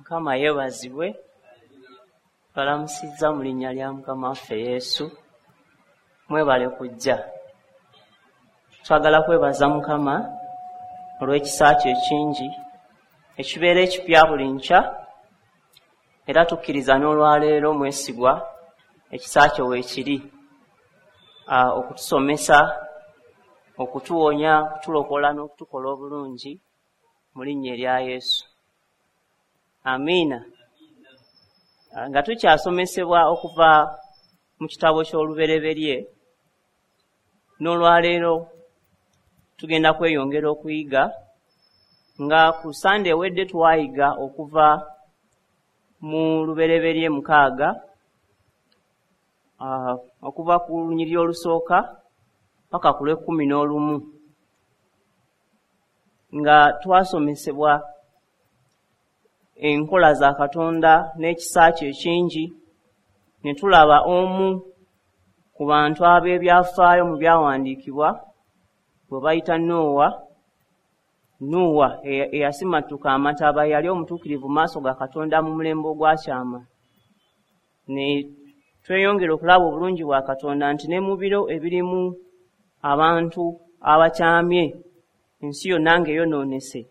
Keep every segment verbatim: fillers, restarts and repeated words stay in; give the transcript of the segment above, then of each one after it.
Mukama yeebazibwe. Balamusizza mu linnya lya Mukama waffe Yesu. Mwebale kujja. Twagala kwebaza Mukama olw'ekisa kye ekingi ekibeera ekipya buli nkya, era tukkiriza n'olwaleero mwesigwa ekisa kye weekiri okutusomesa, okutuwonya, okutulokola n'okutukola obulungi mu linnya erya Yesu. Amiina. Nga tukyasomesebwa okuva mu kitabo ky'Olubereberye, n'olwaleero tugenda kweyongera okuyiga. Nga ku Sande ewedde twayiga okuva mu Lubereberye mukaaga, okuva ku lunyiriri olusooka paka ku lw'ekkumi n'olumu, nga twasomesebwa enkola za Katonda n'ekisa kye ekingi, ne tulaba omu ku bantu ab'ebyafaayo mu byawandiikibwa bwe bayita Nowa. Nuwa eyasimattuka amataba, yali omutuukirivu mu maaso ga Katonda mu mulembe ogwakyama. Ne tweyongera okulaba obulungi bwa Katonda nti ne mu biro ebirimu abantu abakyamye, ensi yonna ng'eyonoonese,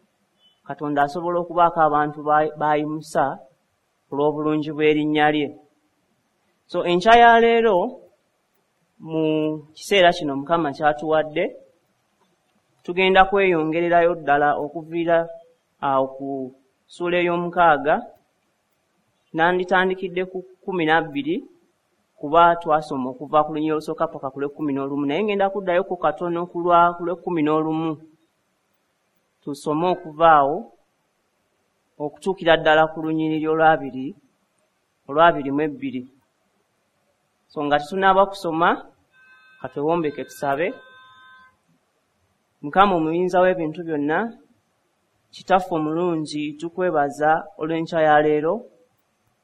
Katonda asobola okubaako abantu b'ayimusa olw'obulungi bw'erinnya lye. So enkya ya leero mu kiseera kino Mukama ky'atuwadde, tugenda kweyongererayo ddala okuviira awo ku ssuula ey'omukaaga. Nanditandikidde ku kkumi na bbiri kuba twasoma okuva ku lunyiriri olusooka paka ku lw'ekkumi n'olumu, naye ngenda kuddayoko katono ku lw'ekkumi n'olumu tusome okuva awo okutuukira ddala ku lunyiriri olwabiri olwabiri mu ebbiri. So nga tetunaaba kusoma, katwewombeke tusabe. Mukama omuyinza w'ebintu byonna, Kitaffe omulungi, tukwebaza olw'enkya ya leero.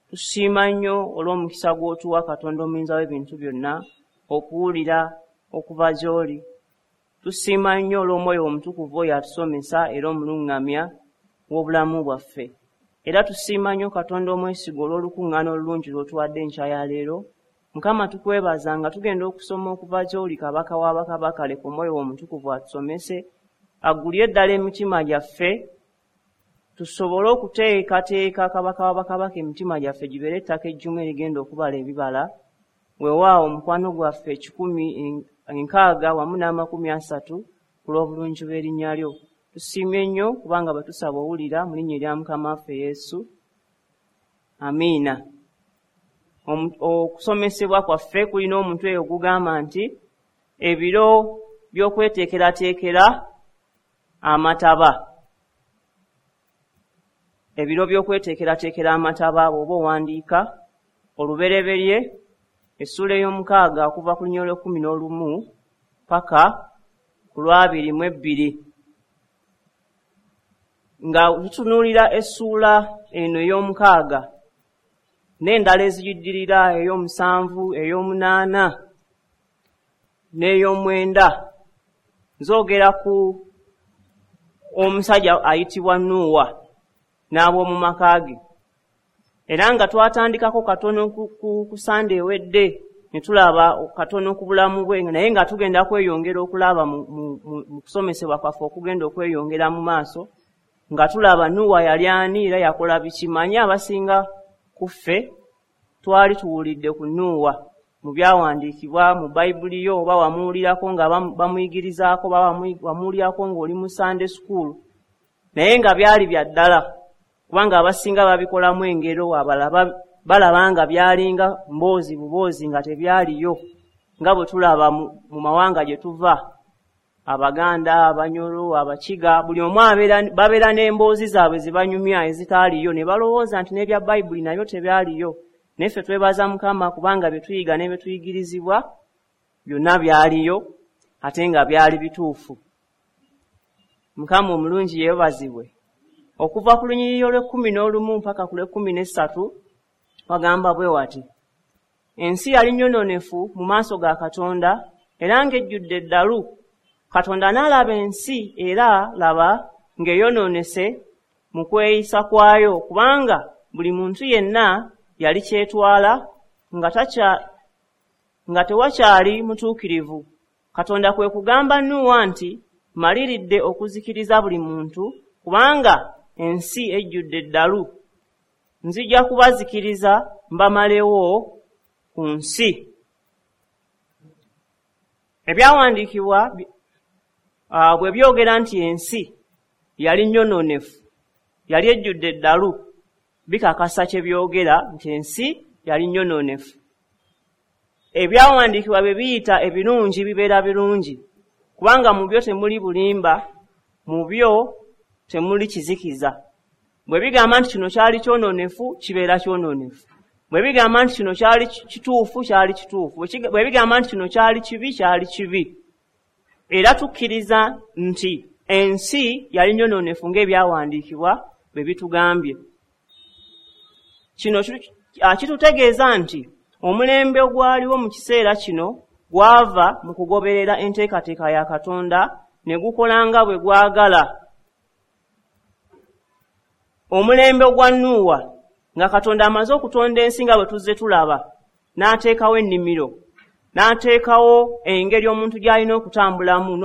Tusiima nnyo olw'omukisa gw'otuwa Katonda omuyinza w'ebintu byonna okuwulira okuva gy'oli. Tusiima nnyo olw'Omwoyo Omutukuvu oyo atusomesa era omuluŋŋamya w'obulamu bwaffe. Era tusiima nnyo Katonda omwesigwa olw'olukuŋŋaana olulungi lw'otuwadde enkya ya leero. Mukama tukwebaza nga tugenda okusoma okuva gy'oli Kabaka w'abakabaka, leka Omwoyo Omutukuvu atusomese, aggulye ddala emitima gyaffe, tusobole okuteekateeka Kabaka w'abakabaka emitima gyaffe gibeere ettaka ejjumu erigenda okubala ebibala. Weewaawo omukwano gwaffe ekikumi enkaaga wamu n'amakumi asatu ku lw'obulungi bw'erinnya lyo. Tusiimye nnyo kubanga bwe tusaba owulira mu linnya erya Mukama waffe Yesu. Amiina. Okusomesebwa kwaffe kulina omutwe ogugamba nti ebiro by'okweteekerateekera amataba. Ebiro by'okweteekerateekera amataba, bw'oba owandiika Olubereberye essuula ey'omukaaga okuva ku lunyiriri olw'ekkumi n'olumu paka ku lwabiri mu ebbiri. Nga tutunuulira essuula eno ey'omukaaga n'endala eziyiddirira, ey'omusanvu, ey'omunaana n'ey'omwenda, nzoogera ku omusajja ayitibwa Nuuwa n'ab'omu maka ge. Era nga twatandikako katono ku Sande ewedde ne tulaba katono ku bulamu bwe, naye nga tugenda kweyongera okulaba mu kusomesebwa kwaffe okugenda okweyongera mu maaso, nga tulaba Nuuwa yali ani era yakola biki. Manyi abasinga ku ffe twali tuwulidde ku Nuuwa mu byawandiikibwa mu Bayibuli yo, oba wamuwulirako nga bamuyigirizaako, oba wamuwulirako ng'oli mu Sunday school, naye nga byali bya ddala kubanga abasinga babikolamu engero, abalala balaba nga byalinga mboozi buboozi nga tebyaliyo, nga bwe tulaba mu mawanga gye tuva, Abaganda, Abanyoro, Abakiga, buli omu babeera n'emboozi zaabwe ze banyumya ezitaaliyo, ne balowooza nti n'ebya Bayibuli nabyo tebyaliyo. Naye ffe twebaza Mukama kubanga bye tuyiga ne bye tuyigirizibwa byonna byaliyo ate nga byali bituufu. Mukama omulungi yeebazibwe. Okuva ku lunyiriri olw'ekkumi n'olumu mpaka ku lw'ekkumi n'essatu wagamba bwe wati: ensi yali nnyonoonefu mu maaso ga Katonda era ng'ejjudde eddalu. Katonda n'alaba ensi era laba ng'eyonoonese mu kweyisa kwayo, kubanga Buli muntu yenna yali kyetwala nga takya nga tewakyali mutuukirivu. Katonda kwe kugamba Nuuwa nti, maliridde okuzikiriza buli muntu kubanga ensi ejjudde eddalu. Nzija kubazikiriza mbamalewo ku nsi. Ebyawandiikibwa bwe byogera nti ensi yali nnyonoonefu, yali ejjudde eddalu, bikakasa kye byogera nti ensi yali nnyonoonefu. Ebyawandiikibwa bwe biyita ebirungi bibeera birungi, kubanga mu byo temuli bulimba, mu byo temuli kizikiza. Bwe bigamba nti kino kyali kyonoonefu, kibeera kyonoonefu. Bwe bigamba nti kino kyali kituufu, kyali kituufu. Bwe bigamba nti kino kyali kibi, kyali kibi. Era tukkiriza nti ensi yali nnyonoonefu ng'ebyawandiikibwa bwe bitugambye. Kino kitutegeeza nti omulembe ogwaliwo mu kiseera kino gwava mu kugoberera enteekateeka ya Katonda ne gukola nga bwe gwagala. Omulembe ogwa Nuuwa, nga Katonda amaze okutonda ensi nga bwe tuzze tulaba, n'ateekawo ennimiro, n'ateekawo engeri omuntu gy'alina okutambulamu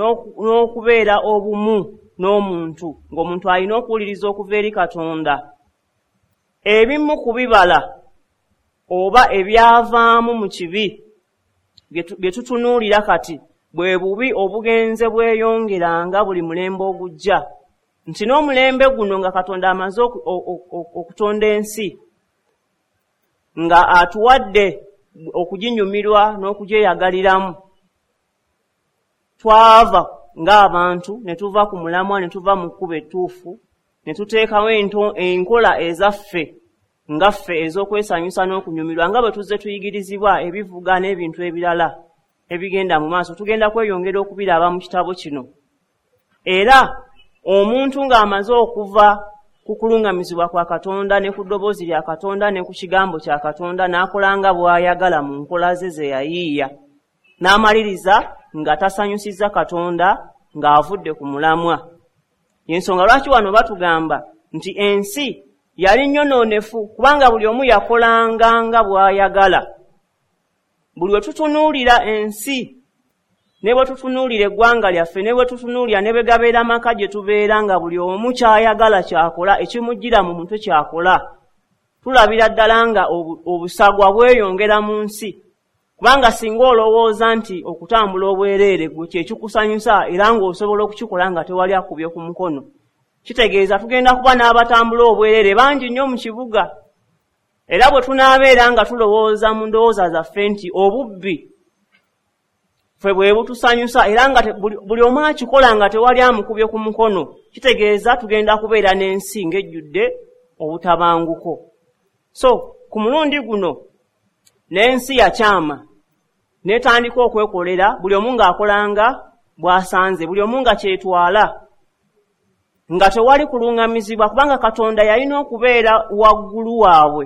n'okubeera obumu n'omuntu, ng'omuntu alina okuwuliriza okuva eri Katonda. Ebimu ku bibala oba ebyavaamu mu kibi bye tutunuulira kati bwe bubi obugenze bweyongeranga buli mulembe ogujja. Nti n'omulembe guno nga Katonda amaze okutonda ensi, nga atuwadde okuginyumirwa n'okugyeyagaliramu, twava ng'abantu ne tuva ku mulamwa, ne tuva mu kkubo ettuufu, ne tuteekawo enkola ezaffe nga ffe ez'okwesanyusa n'okunyumirwa, nga bwe tuzze tuyigirizibwa ebivuga n'ebintu ebirala ebigenda mu maaso. Tugenda kweyongera okubiraba mu kitabo kino. Era omuntu ng'amaze okuva ku kulungamizibwa kwa Katonda ne ku ddoboozi lya Katonda ne ku kigambo kya Katonda, n'akola nga bw'ayagala mu nkola ze ze yayiiya, n'amaliriza nga tasanyusizza Katonda, ng'avudde ku mulamwa. Y'ensonga lwaki wano batugamba nti ensi yali nnyonoonefu, kubanga buli omu yakolanga nga bw'ayagala. Buli we tutunuulira ensi, ne bwe tutunuulira eggwanga lyaffe, ne bwe tutunuulira ne bwe gabeera amaka gye tubeera, nga buli omu ky'ayagala ky'akola, ekimujjira mu mutwe ky'akola, tulabira ddala nga obusagwa bweyongera mu nsi. Kubanga singa olowooza nti okutambula obwereere gwe kye kikusanyusa era ng'osobola okukikola nga tewali akubye ku mukono, kitegeeza tugenda kuba n'abatambula obwereere bangi nnyo mu kibuga. Era bwe tunaabeera nga tulowooza mu ndowooza zaffe nti obubbi ffe bwe butusanyusa era nga buli omu akikola nga tewali amukubye ku mukono, kitegeeza tugenda kubeera n'ensi ng'ejjudde obutabanguko. So ku mulundi guno n'ensi yakyama n'etandika okwekolera, buli omu ng'akolanga bw'asanze, buli omu nga kyetwala, nga tewali kulungamizibwa, kubanga Katonda yalina okubeera waggulu waabwe,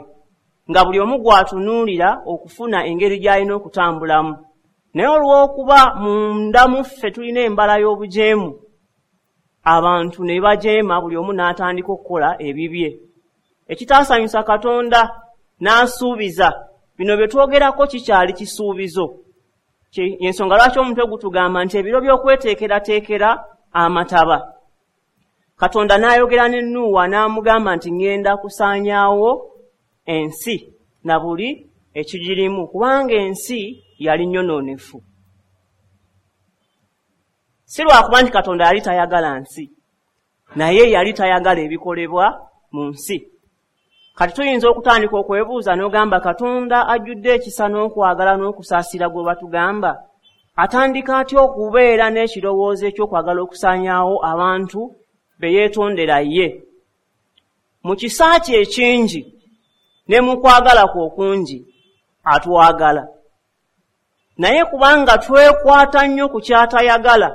nga buli omu gw'atunuulira okufuna engeri gy'alina okutambulamu. Naye olw'okuba munda mu ffe tulina embala y'obujeemu, abantu ne bajeema, buli omu n'atandika okukola ebibye. Ekitaasanyusa Katonda n'asuubiza. Bino bye twogerako kikyali kisuubizo. Y'ensonga lwaki omutwe gutugamba nti ebiro by'okweteekerateekera amataba. Katonda n'ayogera ne Nuuwa n'amugamba nti ŋŋenda kusaanyaawo ensi na buli ekigirimu, kubanga ensi yali nnyonoonefu. Si lwakuba nti Katonda yali tayagala nsi, naye yali tayagala ebikolebwa mu nsi. Kati tuyinza okutandika okwebuuza n'ogamba Katonda ajjudde ekisa n'okwagala n'okusaasira gwe batugamba, atandika atya okubeera n'ekirowoozo eky'okwagala okusaanyaawo abantu be yeetondera ye? Mu kisa kye ekingi ne mu kwagala kwe okungi atwagala. Naye kubanga twekwata nnyo ku ky'atayagala,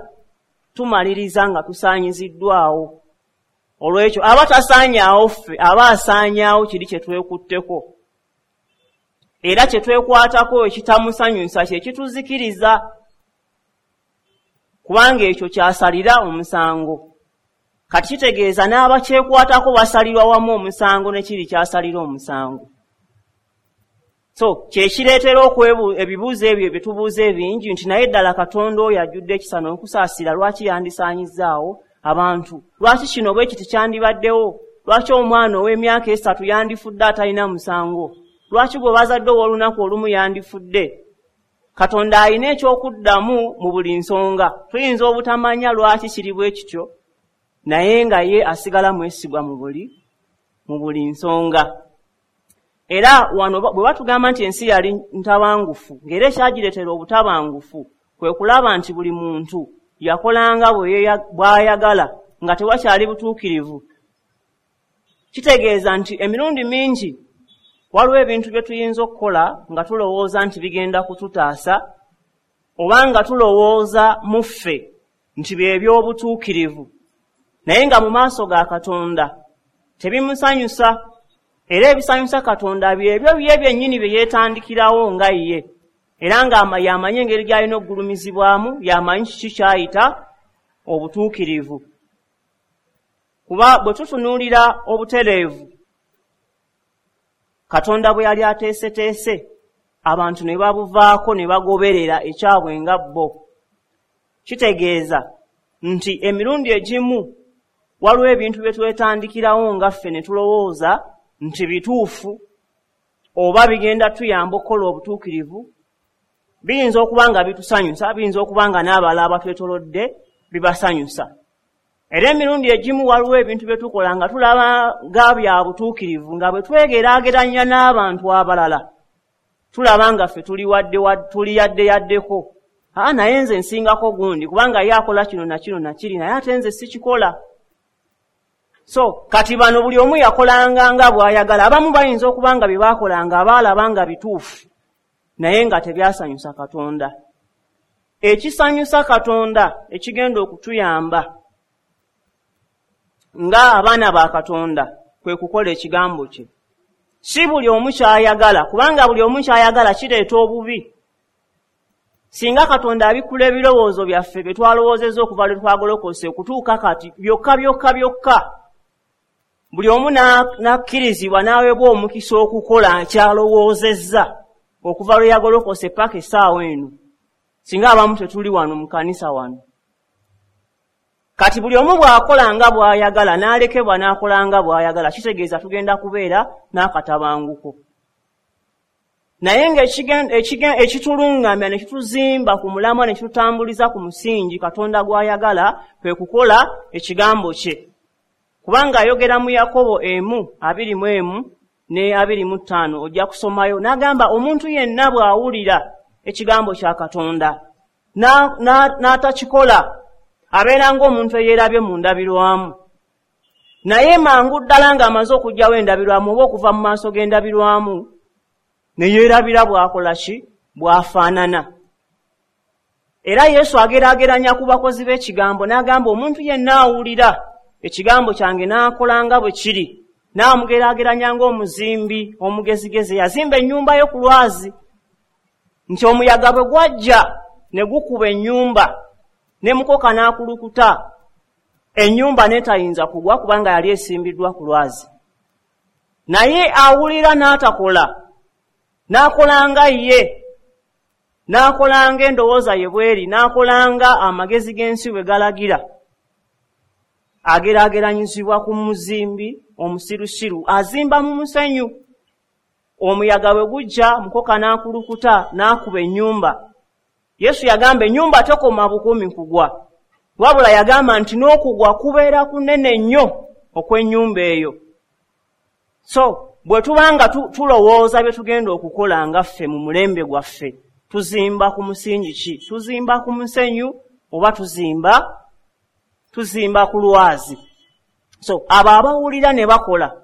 tumaliriza nga tusaanyiziddwawo. Olw'ekyo aba tasaanyaawo ffe, aba asaanyaawo kiri kye twekutteko. Era kye twekwatako ekitamusanyusa kye kituzikiriza, kubanga ekyo kyasalira omusango. Kati kitegeeza n'abakyekwatako basalirwa wamu omusango ne kiri kyasalira omusango. So kyekireetera ebibuuzo ebyo bye tubuuza ebingi nti naye ddala Katonda oyo ajjudde ekisa n'okusaasira lwaki yandisaanyizaawo abantu? Lwaki kino bwe kiti kyandibaddewo? Lwaki omwana ow'emyaka esatu yandifudde atalina musango? Lwaki gwe bazadde ow'olunaku olumu yandifudde? Katonda alina ekyokuddamu mu buli nsonga. Tuyinza obutamanya lwaki kiri bwe kityo, naye nga ye asigala mwesigwa mu buli mu buli nsonga. Era wano bwe batugamba nti ensi yali ntabangufu, ng'era ekyagireetera obutabangufu kwe kulaba nti buli muntu yakolanga bw'ayagala nga tewakyali butuukirivu. Kitegeeza nti emirundi mingi waliwo ebintu bye tuyinza okukola nga tulowooza nti bigenda kututaasa, oba nga tulowooza mu ffe nti bye by'obutuukirivu, naye nga mu maaso ga Katonda tebimusanyusa. Era ebisanyusa Katonda byebyo bye byennyini bye yeetandikirawo nga ye, era nga y'amanyi engeri gy'alina okugulumizibwamu, y'amanyi kiki ky'ayita obutuukirivu. Kuba bwe tutunuulira obutereevu Katonda bwe yali ateeseteese, abantu ne babuvaako ne bagoberera ekyabwe nga bo. Kitegeeza nti emirundi egimu waliwo ebintu bye twetandikirawo nga ffe ne tulowooza nti bituufu oba bigenda tuyamba okukola obutuukirivu. Biyinza okuba nga bitusanyusa, biyinza okuba nga n'abalala abatwetoolodde bibasanyusa. Era emirundi egimu waliwo ebintu bye tukola nga tulaba nga bya butuukirivu, nga bwe twegeraageranya n'abantu abalala tulaba nga ffe tuli wadde tuli yadde yaddeko. Aa, naye nze nsingako gundi kubanga ye akola kino na kino na kiri, naye ate nze sikikola. So kati bano buli omu yakolanga nga bw'ayagala. Abamu bayinza okuba nga bye baakolanga abaalaba nga bituufu, naye nga tebyasanyusa Katonda. Ekisanyusa Katonda ekigenda okutuyamba nga abaana ba Katonda kwe kukola ekigambo kye. Si buli omu ky'ayagala, kubanga buli omu ky'ayagala kireeta obubi. Singa Katonda abikkula ebirowoozo byaffe bye twalowoozezza okuva lwe twagolokose okutuuka kati byokka byokka byokka, buli omu n'akkirizibwa n'aweebwa omukisa okukola ky'alowoozezza okuva lwe yagolokose paka essaawa eno, singa abamu tetuli wano mu kanisa wano. Kati buli omu bw'akola nga bw'ayagala n'alekebwa n'akola nga bw'ayagala, kitegeeza tugenda kubeera n'akatabanguko. Naye ng'ekitulungamya ne kituzimba ku mulamwa ne kitutambuliza ku musingi Katonda gw'ayagala kwe kukola ekigambo kye. Kubanga ayogera mu Yakobo emu abiri mu emu ne abiri mu ttaano, ojja kusomayo n'agamba omuntu yenna bw'awulira ekigambo kya Katonda n'atakikola abeera ng'omuntu eyeerabye mu ndabirwamu. Naye mangu ddala ng'amaze okuggyawo endabirwamu oba okuva mu maaso g'endabirwamu ne yeerabira bw'akola ki, bw'afaanana. Era Yesu ageraageranya ku bakozi b'ekigambo n'agamba omuntu yenna awulira ekigambo kyange n'akola nga bwe kiri, n'amugeraageranya ng'omuzimbi omugezigezi yazimba ennyumba ye ku lwazi, nti omuyaga bwe gwajja ne gukuba ennyumba ne mukoka n'akulukuta, ennyumba n'etayinza kugwa kubanga yali esimbiddwa ku lwazi. Naye awulira n'atakola, n'akola nga ye, n'akola ng'endowooza ye bw'eri, n'akola nga amagezi g'ensi bwe galagira, ageraageranyizibwa ku muzimbi omusirusiru azimba mu musenyu. Omuyaga bwe gujja mukoka n'akulukuta n'akuba ennyumba. Yesu yagamba ennyumba tekoma bukumi kugwa, wabula yagamba nti n'okugwa kubeera kunene nnyo okw'ennyumba eyo. So bwe tubanga tulowooza bye tugenda okukola nga ffe mu mulembe gwaffe, tuzimba ku musingi ki? Tuzimba ku musenyu oba tuzimba tuzimba ku lwazi? So abo abawulira ne bakola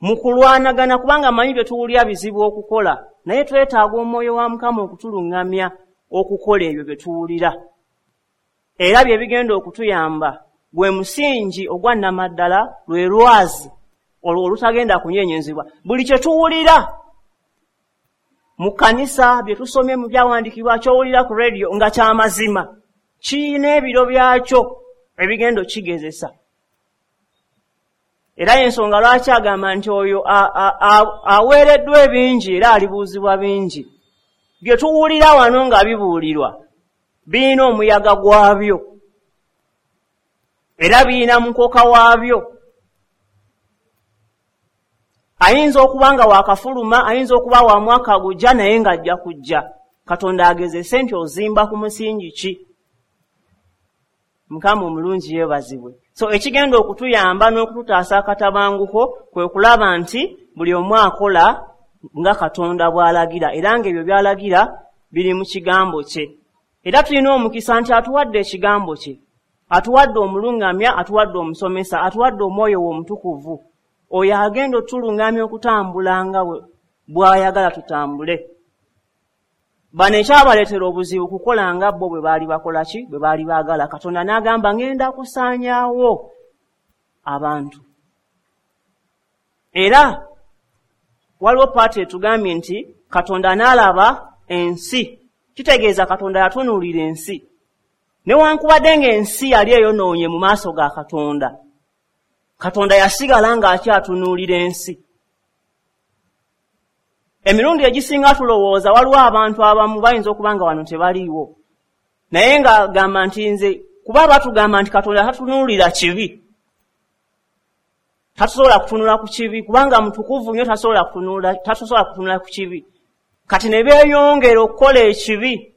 mu kulwanagana, kubanga manyi bye tuwulira bizibu okukola, naye twetaaga omwoyo wa Mukama okutuluŋŋamya okukola ebyo bye tuwulira. Era bye bigenda okutuyamba gwe musingi ogwa nnamaddala, lwe lwazi olwo olutagenda kunyenyezebwa. Buli kye tuwulira mu kkanisa, bye tusomye mu byawandiikibwa, ky'owulira ku rediyo nga kyamazima, kirina ebiro byakyo. ebigenda okigezesa. Era y'ensonga lwaki agamba nti oyo aweereddwa ebingi era alibuuzibwa bingi. Bye tuwulira wano nga bibuulirwa birina omuyaga gwabyo, era birina mukoka waabyo. Ayinza okuba nga wakafuluma, ayinza okuba wa mwaka gujja, naye ng'ajja kujja. Katonda agezese nti ozimba ku musingi ki. Mukama omulungi yeebazibwe. So ekigenda okutuyamba n'okututaasa akatabanguko kwe kulaba nti buli omu akola nga Katonda bw'alagira, era ng'ebyo by'alagira biri mu kigambo kye. Era tulina omukisa nti atuwadde ekigambo kye, atuwadde omulungamya, atuwadde omusomesa, atuwadde omwoyo we omutukuvu, oyo agenda otulungamya okutambula nga bw'ayagala tutambule. Bano ekyabaleetera obuzibu kukola nga bo bwe baali bakola ki, bwe baali baagala. Katonda n'agamba ngenda kusaanyaawo abantu. Era waliwo paati etugambye nti Katonda n'alaba ensi, kitegeeza Katonda yatunuulira ensi. Newankubadde ng'ensi yali eyonoonye mu maaso ga Katonda, Katonda yasigala ng'akyatunuulira ensi. Emirundi egisinga tulowooza waliwo abantu abamu bayinza okuba nga wano tebaliiwo, naye ng'agamba nti nze, kuba batugamba nti Katonda tatunuulira kibi, tatusobola kutunula ku kibi kubanga mutukuvu nnyo, tasobola kutunula, tatusobola kutunula ku kibi. Kati ne beeyongera okukola ekibi,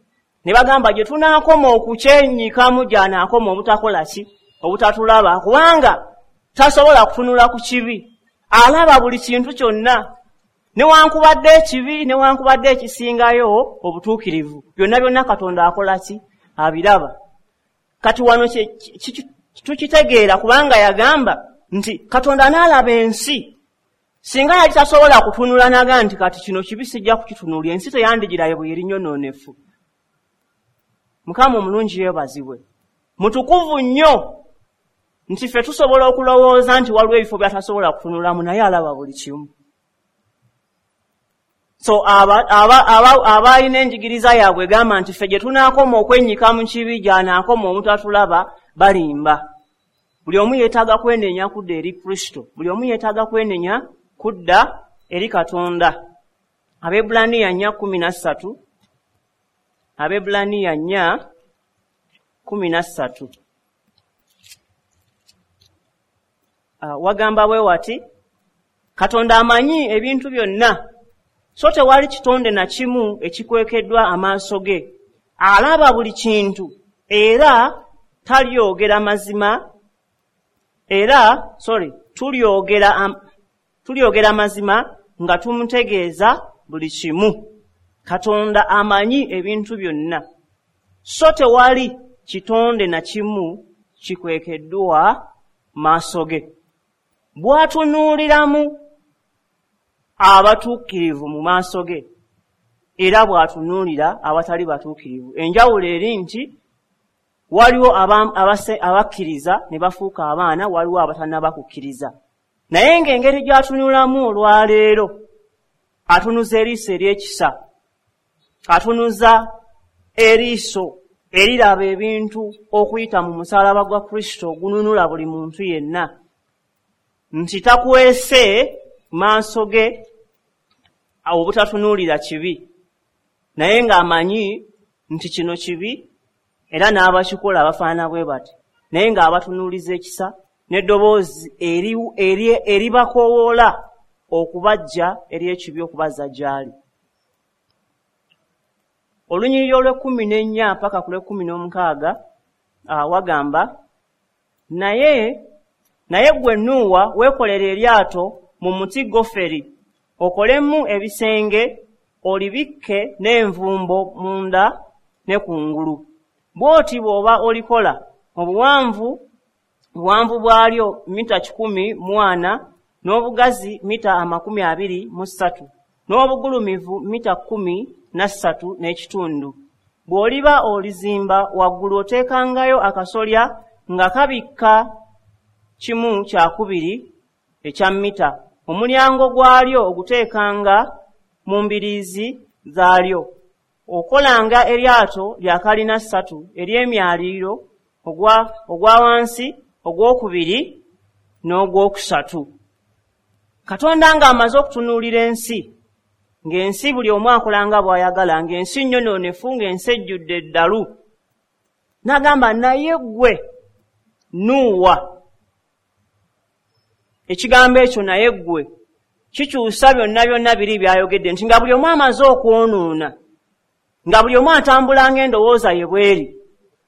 ne bagamba gye tunaakoma okukyenyikamu gy'anaakoma obutakola ki, obutatulaba, kubanga tasobola kutunula ku kibi. Alaba buli kintu kyonna, newankubadde ekibi, newankubadde ekisingayo obutuukirivu, byonna byonna Katonda akola ki, abiraba. Kati wano tukitegeera kubanga yagamba nti Katonda n'alaba ensi. Singa yali tasobola kutunula n'agamba nti kati kino kibi sijja kukitunuulira, ensi teyandigirayo bwe eri nnyonoonefu. Mukama omulungi yeebazibwe. Mutukuvu nnyo nti ffe tusobola okulowooza nti waliwo ebifo by'atasobola kutunulamu, naye alaba buli kimu. So abalina enjigiriza yaabwe egamba nti ffe gye tunaakoma okwennyika mu kibi gy'anaakoma obutatulaba, balimba. Buli omu yeetaaga kwenenya kudda eri Kristo, buli omu yeetaaga kwenenya kudda eri Katonda. Abebbulaniya nnya kkumi na ssatu, Abebbulaniya nnya kkumi na ssatu wagamba bwe wati, Katonda amanyi ebintu byonna, so tewali kitonde na kimu ekikwekeddwa amaaso ge. Alaba buli kintu era talyogera mazima, era sorry tulyogera tulyogera mazima nga tumutegeeza buli kimu. Katonda amanyi ebintu byonna, so tewali kitonde na kimu kikwekeddwa maaso ge. Bw'atunuuliramu abatuukirivu mu maaso ge, era bw'atunuulira abatali batuukirivu. Enjawulo eri nti waliwo abakkiriza ne bafuuka abaana, waliwo abatannaba kukkiriza. Naye ng'engeri gy'atunulamu olwaleero, atunuza eriiso ery'ekisa, atunuza eriiso eriraba ebintu okuyita mu musaalaba gwa Kristo ogununula buli muntu yenna, nti takwese maaso ge obutatunuulira kibi, naye ng'amanyi nti kino kibi era n'abakikola abafaanana bwe bati, naye ng'abatunuuliza ekisa n'eddoboozi eribakoowoola okubajja eri ekibi okubazza gy'ali. Olunyiriri olw'ekkumi n'ennya paka ku lw'ekkumi n'omukaaga wagamba, naye naye ggwe Nuuwa weekolera eryato mu muti goferi, okolemu ebisenge, olibikke n'envumbo munda ne kungulu. Bw'oti bw'oba olikola, obuwanvu obuwanvu bwalyo mita kikumi mu ana, n'obugazi mita amakumi abiri mu ssatu, n'obugulumivu mita kkumi na ssatu n'ekitundu. Bw'oliba olizimba waggulu oteekangayo akasolya nga kabikka kimu kyakubiri ekya mita. Omulyango gwalyo oguteekanga mu mbiriizi zaalyo. Okolanga eryato lya kalina ssatu ery'emyaliiro ogwa ogwa wansi, ogwokubiri n'ogwokusatu. Katonda ng'amaze okutunuulira ensi, ng'ensi buli omu akola nga bw'ayagala, ng'ensi nnyonoonefu, ng'ensi ejjudde eddalu, n'agamba naye ggwe Nuuwa. Ekigambo ekyo naye ggwe kikyusa byonna byonna biri by'ayogedde, nti nga buli omu amaze okwonoona, nga buli omu atambula ng'endowooza ye bw'eri,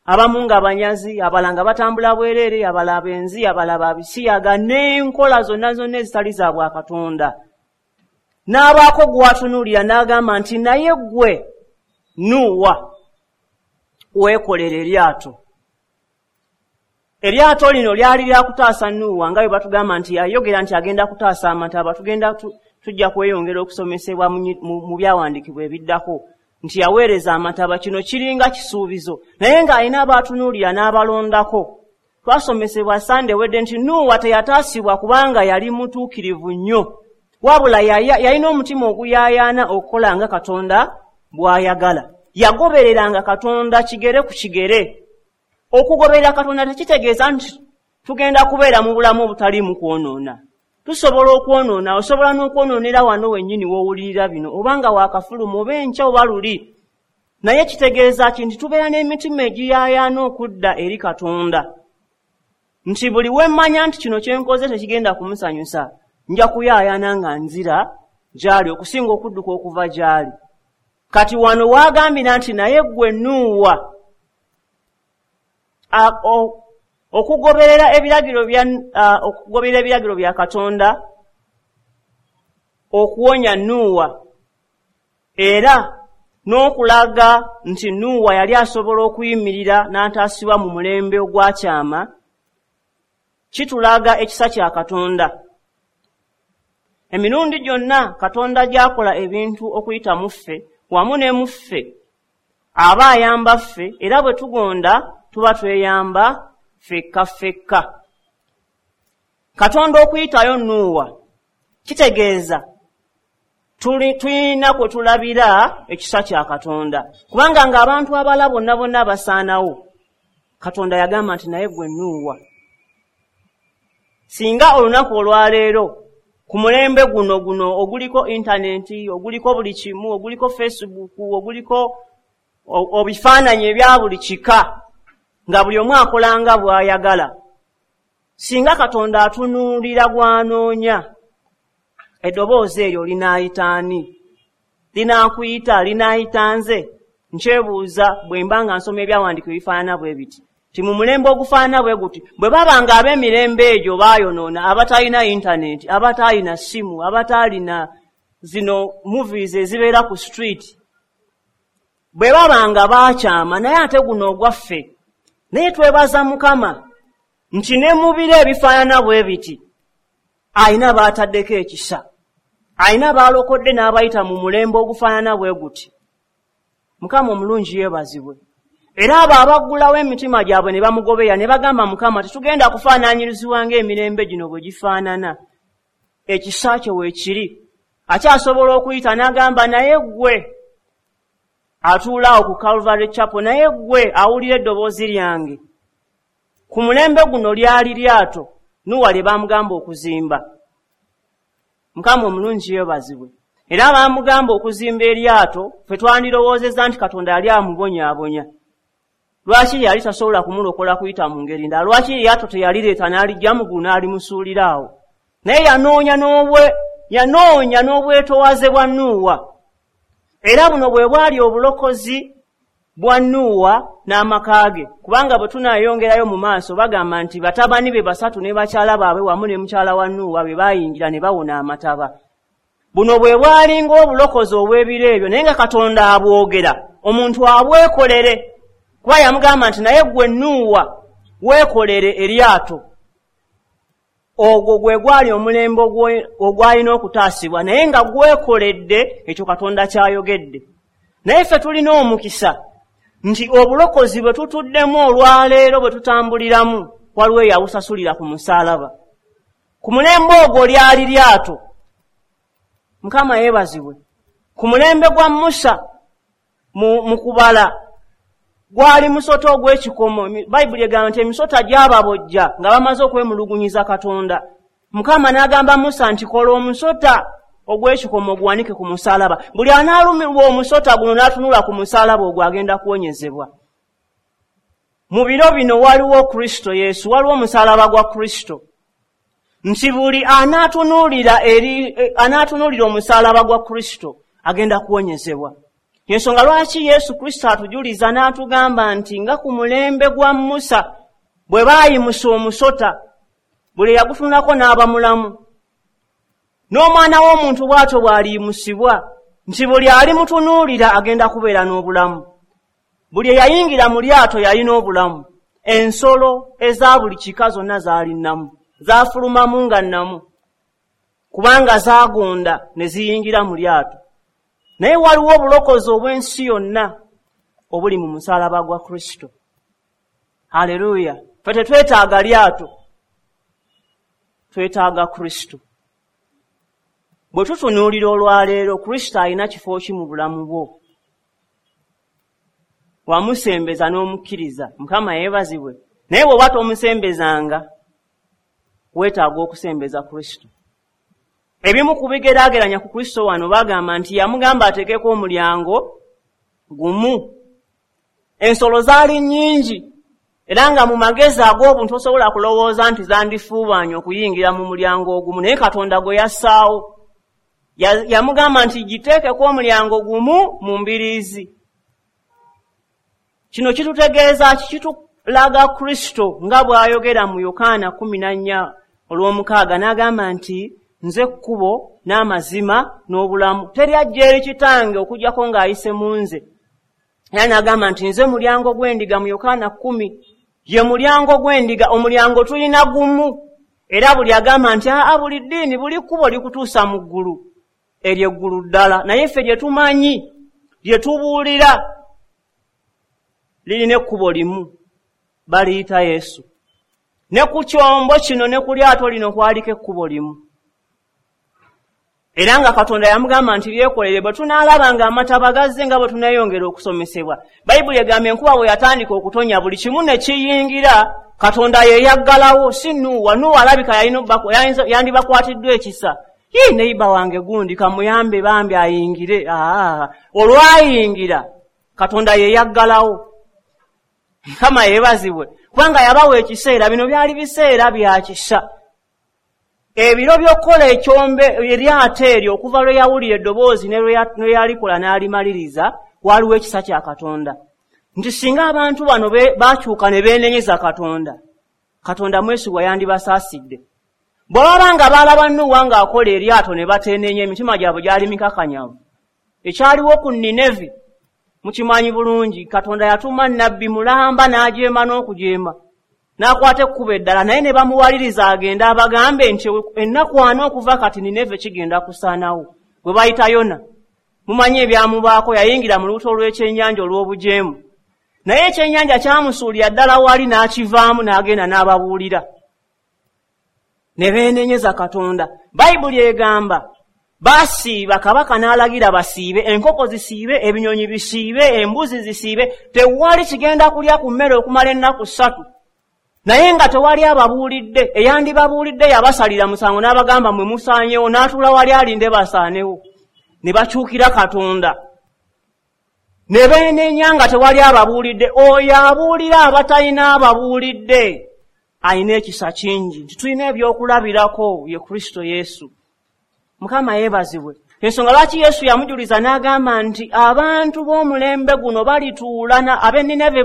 abamu nga banyazi, abalala nga batambula bwereere, abalala benzi, abalala babisiyaga, n'enkola zonna zonna ezitali za bwakatonda. N'abaako gw'atunuulira n'agamba nti naye ggwe Nuuwa weekolera eryato. Eryato lino lyali lya kutaasa Nuuwa, nga bwe batugamba nti yayogera nti agenda kutaasa amataba. Tugenda tujja kweyongera okusomesebwa mu byawandiikibwa ebiddako nti yaweereza amataba. Kino kiringa kisuubizo, naye ng'alina abaatunuulira n'abalondako. Twasomesebwa Sande wedde nti Nuuwa teyataasibwa kubanga yali mutuukirivu nnyo, wabula yalina omutima oguyaayaana okukola nga Katonda bw'ayagala. Yagobereranga Katonda kigere ku kigere. Okugoberera Katonda tekitegeeza nti tugenda kubeera mu bulamu obutaliimu kwonoona. Tusobola okwonoona, osobola n'okwonoonera wano wennyini w'owulirira bino, oba nga waakafuluma oba enkya oba luli. Naye kitegeeza ki? Nti tubeera n'emitima egiyaayaana okudda eri Katonda, nti buli we mmanya nti kino kye nkoze tekigenda kumusanyusa, nja kuyaayaana nga nzira gy'ali okusinga okudduka okuva gy'ali. Kati wano waagambira nti naye ggwe Nuuwa, okugoberera ebiragiro bya okugoberera ebiragiro bya Katonda okuwonya Nuuwa, era n'okulaga nti Nuuwa yali asobola okuyimirira n'ataasibwa mu mulembe ogwakyama, kitulaga ekisa kya Katonda. Emirundi gyonna Katonda gy'akola ebintu okuyita mu ffe wamu ne mu ffe, aba ayamba ffe, era bwe tugonda tuba tweyamba ffekka ffekka. Katonda okuyitayo Nuuwa kitegeeza tulina kwe tulabira ekisa kya Katonda, kubanga ng'abantu abala bonna bonna basaanawo, Katonda yagamba nti naye ggwe Nuuwa. Singa olunaku olwaleero ku mulembe guno guno oguliko intaneti, oguliko buli kimu, oguliko Facebook, oguliko obifaananyi ebya buli kika, nga buli omu akola nga bw'ayagala, singa Katonda atunuulira gw'anoonya, eddoboozi eryo linaayita ani? Linaakuyita? Linaayita nze? Nkyebuuza bwe mba nga nsoma ebyawandiikibwa ebifaanana bwe biti, nti mu mulembe ogufaanana bwe guti, bwe baba nga ab'emirembe egyo baayonoona, abatalina intaneti, abataalina ssimu, abataalina zino movies ezibeera ku street, bwe baba nga baakyama, naye ate guno ogwaffe. Naye twebaza Mukama nti ne mu biro ebifaanana bwe biti alina baataddeko ekisa, alina baalokodde n'abayita mu mulembe ogufaanana bwe guti. Mukama omulungi yeebazibwe. Era abo abaggulawo emitima gyabwe ne bamugoberera ne bagamba Mukama tetugenda kufaananyirizibwa ng'emirembe gino bwe gifaanana, ekisa kye weekiri. Akyasobola okuyita n'agamba naye ggwe atuula awo ku Calvary Chapel, naye ggwe awulira eddoboozi lyange. Ku mulembe guno lyali lyato Nuuwa lye baamugamba okuzimba. Mukama omulungi yeebazibwe. Era baamugamba okuzimba eryato, ffe twandirowoozezza nti Katonda yali amubonyaabonya. Lwaki yali tasobola kumulokola kuyita mu ngeri ndala? Lwaki eryato teyalireeta n'alijja mu ggulu n'alimusuulira awo? Naye yanoonya n'obwe yanoonya n'obwetoowaze bwa Nuuwa. Era buno bwe bwali obulokozi bwa Nuuwa n'amaka ge, kubanga bwe tunaayongerayo mu maaso bagamba nti batabani be basatu ne bakyala baabwe wamu ne mukyala wa Nuuwa be baayingira ne bawona amataba. Buno bwe bwalinga obulokozi obw'ebiro ebyo, naye nga Katonda abwogera omuntu abwekolere, kuba yamugamba nti naye ggwe Nuuwa weekolere eryato. Ogwo gwe gwali omulembe ogwalina okutaasibwa, naye nga gwekoledde ekyo Katonda ky'ayogedde. Naye ffe tulina omukisa nti obulokozi bwe tutuddemu olwaleero bwe tutambuliramu waliwo eyabusasulira ku musaalaba. Ku mulembe ogwo lyali lyato. Mukama yeebazibwe. Ku mulembe gwa Musa mu, mu kubala Gwali musota ogw'ekikomo. Bayibuli egamba nti emisota gyababojja nga bamaze okwemulugunyiza Katonda. Mukama n'agamba Musa nti kola omusota ogw'ekikomo oguwanike ku musaalaba. Buli anaalumirwa omusota guno n'atunula ku musaalaba ogwo agenda kuwonyezebwa. Mu biro bino waliwo Kristo Yesu, waliwo omusaalaba gwa Kristo. Nti buli anaatunuulira eri anaatunuulira omusaalaba gwa Kristo agenda kuwonyezebwa. Ensonga lwaki Yesu Kristo atujuliza n'atugamba nti nga ku mulembe gwa Musa bwe baayimusa omusota, buli yagutunulako n'aba mulamu. N'omwana w'omuntu bw'atyo bw'aliyimusibwa, nti buli alimutunuulira agenda kubeera n'obulamu. Buli eyayingira mu lyato yalina obulamu. Ensolo eza buli kika zonna zaali nnamu, zaafulumamu nga nnamu, kubanga zaagonda ne ziyingira mu lyato. Naye waliwo obulokozi obw'ensi yonna obuli mu musaalaba gwa Kristo. Haleluya! Ffe tetwetaaga lyato, twetaaga Kristo. Bwe tutunuulira olwaleero, Kristo alina kifo ki mu bulamu bwo? Wamusembeza n'omukkiriza, Mukama yeebazibwe. Naye bw'oba tomusembezanga, weetaaga okusembeza Kristo. Ebimu ku bigeraageranya ku Kristo wano bagamba nti yamugamba ateekeko omulyango gumu. Ensolo zaali nnyingi, era nga mu magezi ag'obuntu tosobola kulowooza nti zandifuubaanye okuyingira mu mulyango ogumu, naye Katonda gwe yassaawo. Yamugamba nti giteekeko omulyango gumu mu mbiriizi. Kino kitutegeeza ki? Kitulaga Kristo nga bw'ayogera mu Yokaana kkumi na nnya olw'omukaaga n'agamba nti nze kkubo n'amazima n'obulamu, teri ajja eri Kitange okuggyako ng'ayise mu nze. Era n'agamba nti nze mulyango gw'endiga mu Yokaana kkumi, ye mulyango gw'endiga. Omulyango tulina gumu, era buli agamba nti aa buli ddiini buli kkubo likutuusa mu ggulu, eryo eggulu ddala. Naye ffe lye tumanyi, lye tubuulira, lirina ekkubo limu, baliyita Yesu. Ne ku kyombo kino ne ku lyato lino kwaliko ekkubo limu. Era nga Katonda yamugamba nti lyekolere. Bwe tunaalaba nga amataba gazze nga bwe tuneeyongera okusomesebwa, Bayibuli egamba enkuba bwe yatandika okutonya buli kimu ne kiyingira, Katonda ye yaggalawo, si Nuuwa. Nuuwa alabika yalina yandibakwatiddwa ekisa. Yii, neiba wange gundi kamuyambe bambi ayingire. Aa, olwayingira Katonda ye yaggalawo. Mukama yeebazibwe, kubanga yabawa ekiseera. Bino byali biseera bya kisa. Ebiro by'okukola ekyombe eryato eryo okuva lwe yawulira eddoboozi ne lwe yalikola n'alimaliriza, waliwo ekisa kya Katonda. Nti singa abantu bano baakyuka ne beenenyeza Katonda, Katonda mwesigwa yandibasaasidde. Bwe baba nga baalaba Nuuwa ng'akola eryato ne bateenenya, emitima gyabwe gyali mikakanyavu. Ekyaliwo ku Ninevi mukimanyi bulungi. Katonda yatuma nnabbi mulamba n'ajeema n'okujeema, n'akwata ekkubo eddala, naye ne bamuwaliriza agende abagambe nti ennaku ana okuva kati Nineve kigenda kusaanawo. Bwe bayita Yona, mumanyi ebyamubaako, yayingira mu lubuto lw'ekyennyanja olw'obujeemu. Naye ekyennyanja kyamusuulira ddala wali n'akivaamu n'agenda n'ababuulira. Ne beenenyeza Katonda. Bayibuli egamba basiiba, kabaka n'alagira basiibe, enkoko zisiibe, ebinyonyi bisiibe, embuzi zisiibe, tewali kigenda kulya ku mmere okumala ennaku ssatu. Naye nga tewali ababuulidde, eyandibabuulidde yabasalira musango n'abagamba mwe musaanyewo, n'atuula wali alinde basaanewo. Ne bakyukira Katonda. Ne beenenya nga tewali ababuulidde. Oyo abuulira abatalina ababuulidde alina ekisa kingi. Nti tulina ebyokulabirako ye Kristo Yesu. Mukama yeebazibwe. Ensonga lwaki Yesu yamujuliza n'agamba nti abantu b'omulembe guno balituula ab'e Nineve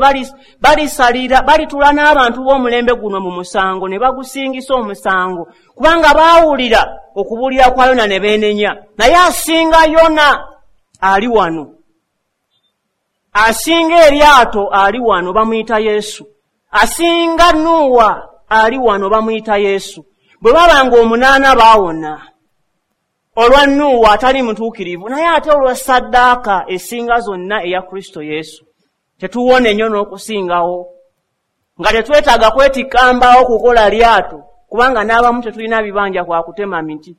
balisalira balituula n'abantu b'omulembe guno mu musango ne bagusingisa omusango, kubanga baawulira okubuulira kwa Yona ne beenenya. Naye asinga Yona ali wano, asinga eryato ali wano, bamuyita Yesu. Asinga Nuuwa ali wano, bamuyita Yesu. Bwe babanga omunaana baawona olwa Nuuwa atali mutuukirivu, naye ate olwa ssaddaaka esinga zonna eya Kristo Yesu tetuwona ennyo n'okusingawo, nga tetwetaaga kwetikka mbaawo kukola lyato, kubanga n'abamu tetulina bibanja kwa kutema miti.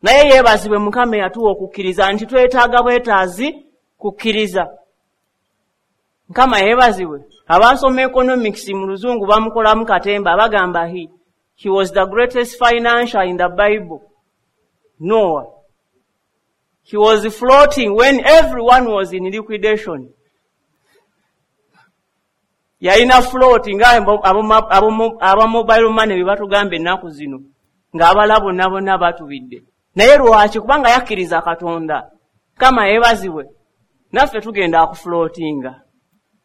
Naye yeebazibwe Mukama eyatuwa okukkiriza nti twetaaga bwetaazi kukkiriza. Mukama yeebazibwe. Abasoma economics mu luzungu bamukolamu katemba, bagamba he, he was the greatest financier in the Bible. Noah. He was floating when everyone was in liquidation. Yalina float nga aba mobile money bye batugamba ennaku zino, ng'abala bonna bonna batubidde. Naye lwaki? Kubanga yakkiriza Katonda. Mukama yeebazibwe. Naffe tugenda akufloatinga.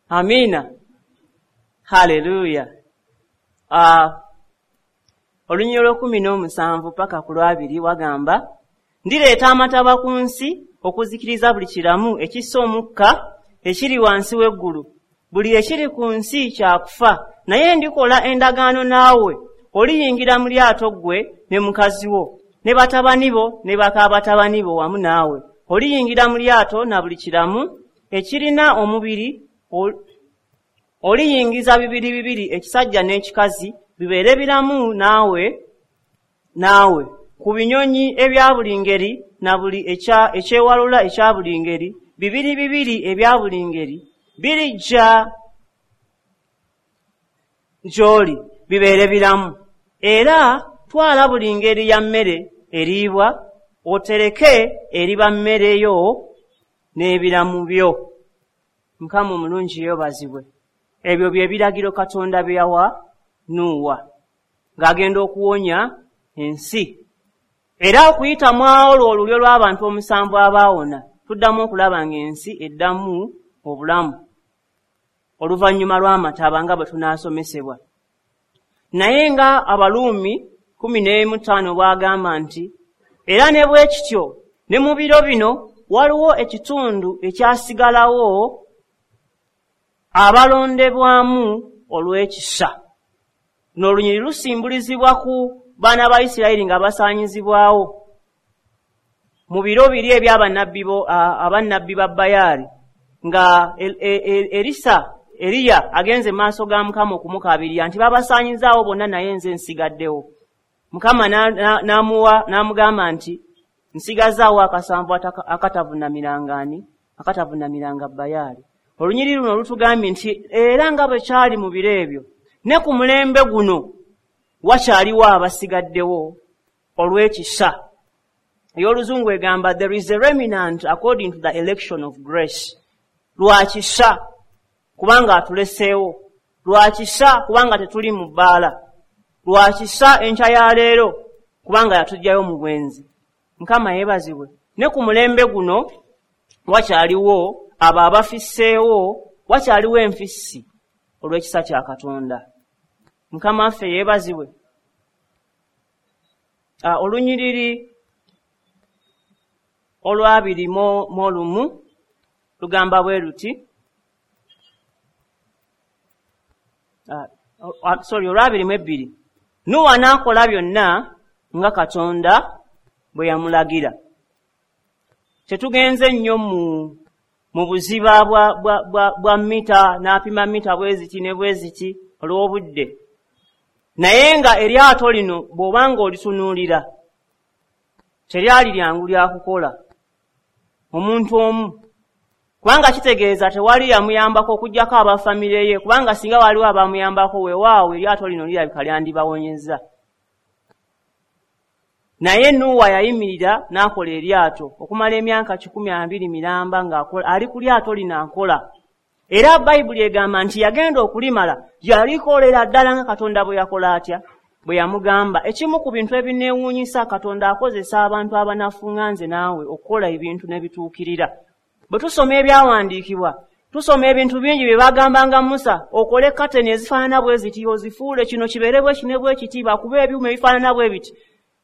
Amiina. Haleluya. Uh, olunyiriri olw'ekkumi n'omusanvu paka ku lwabiri wagamba, ndireeta amataba ku nsi okuzikiriza buli kiramu ekissa omukka ekiri wansi w'eggulu. Buli ekiri ku nsi kyakufa, naye ndikola endagaano naawe, oliyingira mu lyato ggwe ne mukazi wo, ne batabani bo ne baka batabani bo wamu naawe. Oliyingira mu lyato na buli kiramu ekirina omubiri, oliyingiza bibiri bibiri ekisajja n'ekikazi, bibeere biramu naawe naawe. Ku binyonyi ebya buli ngeri na buli ekyewalula ekya buli ngeri, bibiri bibiri ebya buli ngeri birijja gy'oli bibeere biramu. Era twala buli ngeri ya mmere eriibwa, otereke eriba mmere yo n'ebiramu byo. Mukama omulungi yeebazibwe. Ebyo bye biragiro Katonda bye yawa Nuuwa ng'agenda okuwonya ensi. Era okuyita mu olwo olulyo lw'abantu omusanvu abaawona, tuddamu okulaba ng'ensi eddamu obulamu oluvannyuma lw'amataba nga bwe tunaasomesebwa. Naye nga Abaluumi kkumi n'emu ttaano bw'agamba nti, era ne bwe kityo ne mu biro bino waliwo ekitundu ekyasigalawo abalondebwamu olw'ekisa. N'olunyiriri lusimbulizibwa ku baana ba Isirayiri nga basaanyizibwawo mu biro biri eby'abannabbi abannabbi ba Bayaali, nga Erisa Eriya agenze mu maaso ga Mukama okumukaabirira nti babasaanyizaawo bonna naye nze nsigaddewo. Mukama n'amuwa n'amugamba nti nsigazaawo akasanvu akatavunamiranga ani akatavunamiranga Bayaali. Olunyiriri luno lutugambye nti era nga bwe kyali mu biro ebyo, ne ku mulembe guno wakyaliwo abasigaddewo olw'ekisa. Ey'oluzungu egamba there is a remnant according to the election of grace. Lwakisa kubanga atuleseewo, lwakisa kubanga tetuli mu bbaala, lwakisa enkya ya leero kubanga yatuggyayo mu bwenzi. Mukama yeebazibwe. Ne ku mulembe guno wakyaliwo abo abafisseewo, wakyaliwo enfissi olw'ekisa kya Katonda. Mukama waffe yeebazibwe. Olunyiriri olwabiri mu olumu lugamba bwe luti, sorry, olwabiri mu ebbiri. Nuuwa n'akola byonna nga Katonda bwe yamulagira. Tetugenze nnyo mu mu buziba bwa, bwa, bwa, bwa mita, n'apima mita bwe ziti ne bwe ziti olw'obudde. Naye nga eryato lino bw'obanga olitunuulira, teryali lyangu lya kukola omuntu omu, kubanga kitegeeza tewali yamuyambako okuggyako abafamire ye, kubanga singa waliwo abamuyambako weewaawo eryato lino lirabika lyandibawonyezza. Naye Nuuwa yayimirira n'akola eryato okumala emyaka kikumi abiri miramba ng'akola, ali ku lyato lino akola. Era Bayibuli egamba nti yagenda okulimala, yalikolera ddala nga Katonda bwe yakola atya, bwe yamugamba. Ekimu ku bintu ebineewuunyisa, Katonda akozesa abantu abanafu nga nze naawe okukola ebintu ne bituukirira. Bwe tusoma ebyawandiikibwa, tusoma ebintu bingi bye bagambanga Musa, okole kateni ezifaanana bwe ziti, ozifuule kino kibeere bwe kino bwe kiti, bakube ebyuma ebifaanana bwe biti.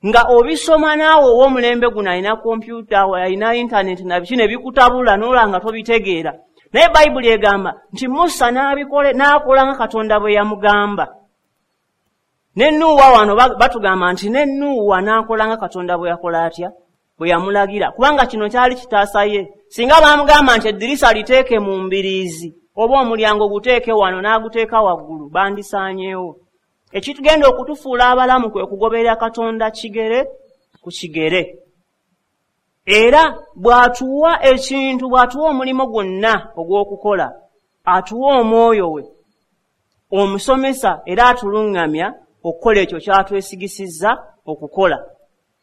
Nga obisoma naawe ow'omulembe guno alina kompyuta, alina intaneti na biki ne bikutabula n'olaba nga tobitegeera. Naye Bayibuli egamba nti Musa n'abikole n'akola nga Katonda bwe yamugamba. Ne Nuuwa wano batugamba nti ne Nuuwa n'akola nga Katonda bwe yakola atya, bwe yamulagira. Kubanga kino kyali kitaasa ye. Singa baamugamba nti eddirisa liteeke mu mbiriizi oba omulyango guteeke wano n'aguteeka waggulu, bandisaanyeewo. Ekitugenda okutufuula abalamu kwe kugoberera Katonda kigere ku kigere. Era bw'atuwa ekintu, bw'atuwa omulimu gwonna ogw'okukola, Atuwa omwoyo we omusomesa era atuluŋŋamya okukola ekyo kyatwesigisizza okukola.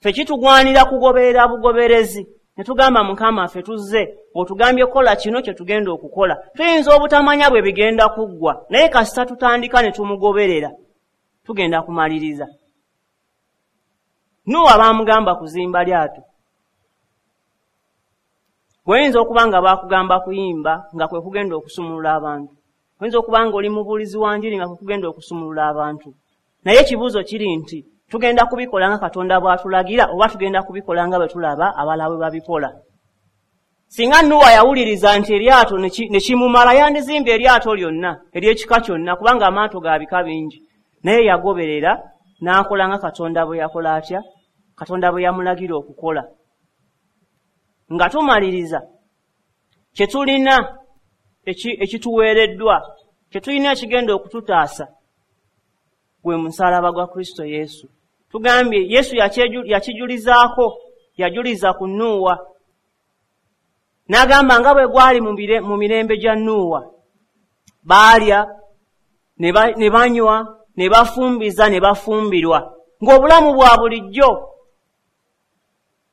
Ffe kitugwanira kugoberera bugoberezi ne tugamba Mukama ffe tuzze otugambye kukola kino kye tugenda okukola. Tuyinza obutamanya bwe bigenda kuggwa, naye kasita tutandika ne tumugoberera tugenda kumaliriza. Nuuwa baamugamba kuzimba lyato. Oyinza okuba nga baakugamba kuyimba nga kwe kugenda okusumulula abantu. Oyinza okuba nga oli mubuulizi wa njiri nga kwe kugenda okusumulula abantu. Naye ekibuuzo kiri nti tugenda kubikola nga Katonda bw'atulagira oba tugenda kubikola nga bwe tulaba abalala bwe babikola. Singa Nuuwa yawuliriza nti eryato ne kimumala, yandizimbye eryato lyonna ery'ekika kyonna, kubanga amaato ga bika bingi. Naye yagoberera n'akola nga Katonda bwe yakola atya? Katonda bwe yamulagira okukola. Nga tumaliriza kye tulina ekituweereddwa, kye tulina ekigenda okututaasa gwe musaalaba gwa Kristo Yesu. Tugambye Yesu yakijulizaako, yajuliza ku Nuuwa n'agamba nga bwe gwali mu mirembe gya Nuuwa, baalya ne banywa ne bafumbiza ne bafumbirwa ng'obulamu bwa bulijjo,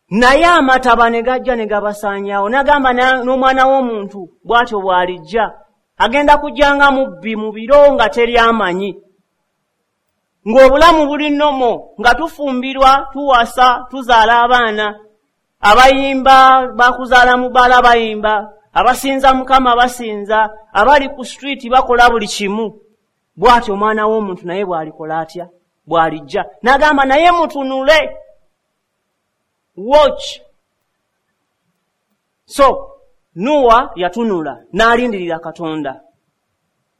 naye amataba ne gajja ne gabasaanyaawo. N'agamba n'omwana w'omuntu bw'atyo bw'alijja, agenda kujja nga mubbi mu biro nga teri amanyi, ng'obulamu buli nnomo, nga tufumbirwa, tuwasa, tuzaala abaana, abayimba bakuzaala mu bbaala bayimba, abasinza Mukama basinza, abali ku street bakola buli kimu. Bw'atyo omwana w'omuntu naye bw'alikola atya? Bw'alijja. N'agamba naye mutunule, watch. So Nuuwa yatunula n'alindirira Katonda.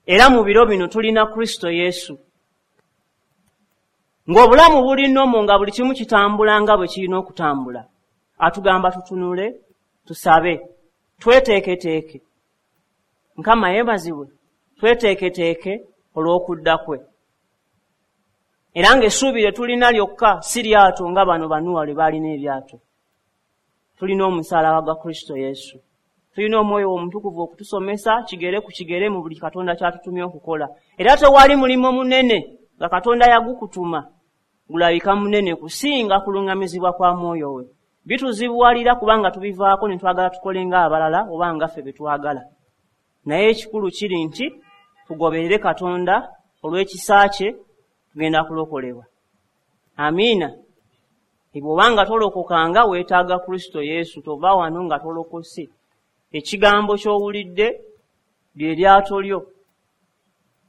Era mu biro bino tulina Kristo Yesu. Ng'obulamu buli nnomo, nga buli kimu kitambula nga bwe kirina okutambula. Atugamba tutunule, tusabe, tweteeketeeke. Mukama yeebazibwe, tweteeketeeke olw'okudda kwe. Era ng'essuubi lye tulina lyokka si lyato nga bano Banuwa lwe baalina eryato. Tulina omusaalaba gwa Kristo Yesu. Tulina omwoyo omutukuvu okutusomesa kigere ku kigere mu buli Katonda ky'atutumye okukola. Era tewali mulimo munene nga Katonda yagukutuma gulabika munene kusinga kuluŋŋamizibwa kwa mwoyo we. Bituzibuwalira kubanga tubivaako ne twagala tukole ng'abalala oba nga ffe be twagala. Naye ekikulu kiri nti tugoberere Katonda olw'ekisa kye, tugenda kulokolebwa. Amiina. Bw'obanga tolokokanga weetaaga Kristo Yesu, tova wano nga tolokose. Ekigambo ky'owulidde lye lyato lyo.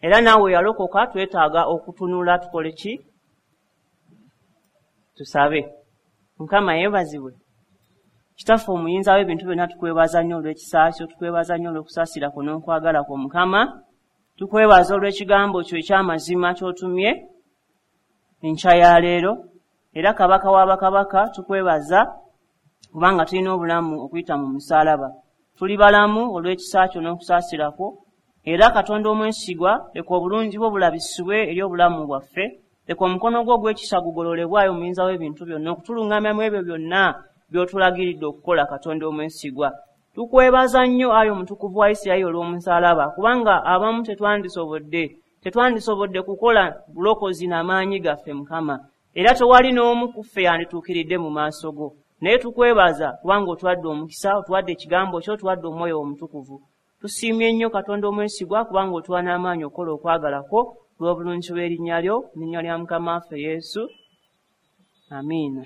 Era naawe yalokoka twetaaga okutunula tukole ki? Tusabe. Mukama yeebazibwe. Kitaffe omuyinza w'ebintu byonna, tukwebaza nnyo olw'ekisa kyo, tukwebaza nnyo olw'okusaasira kwo n'okwagala kwo Mukama. Tukwebaza olw'ekigambo kyo eky'amazima ky'otumye enkya ya leero. Era Kabaka w'abakabaka tukwebaza kubanga tulina obulamu okuyita mu musaalaba. Tuli balamu olw'ekisa kyo n'okusaasira kwo. Era Katonda omwesigwa, leka obulungi bwo bulabisibwe eri obulamu bwaffe. Leka omukono gwo ogw'ekisa gugololebwayo omuyinza w'ebintu byonna okutuluŋŋamya mu ebyo byonna by'otulagiridde okukola. Katonda omwesigwa, tukwebaza nnyo ayi omutukuvu wa Isirayiri olw'omusaalaba, kubanga abamu tetwandisobodde tetwandisobodde kukola bulokozi n'amaanyi gaffe Mukama. Era tewali n'omu ku ffe yandituukiridde mu maaso go. Naye tukwebaza kubanga otuwadde omukisa, otuwadde ekigambo kyo, otuwadde omwoyo omutukuvu. Tusiimye nnyo Katonda omwesigwa kubanga otuwa n'amaanyi okukola okwagala kwo olw'obulungi bw'erinnya lyo, n'erinnya lya Mukama waffe Yesu. Amiina.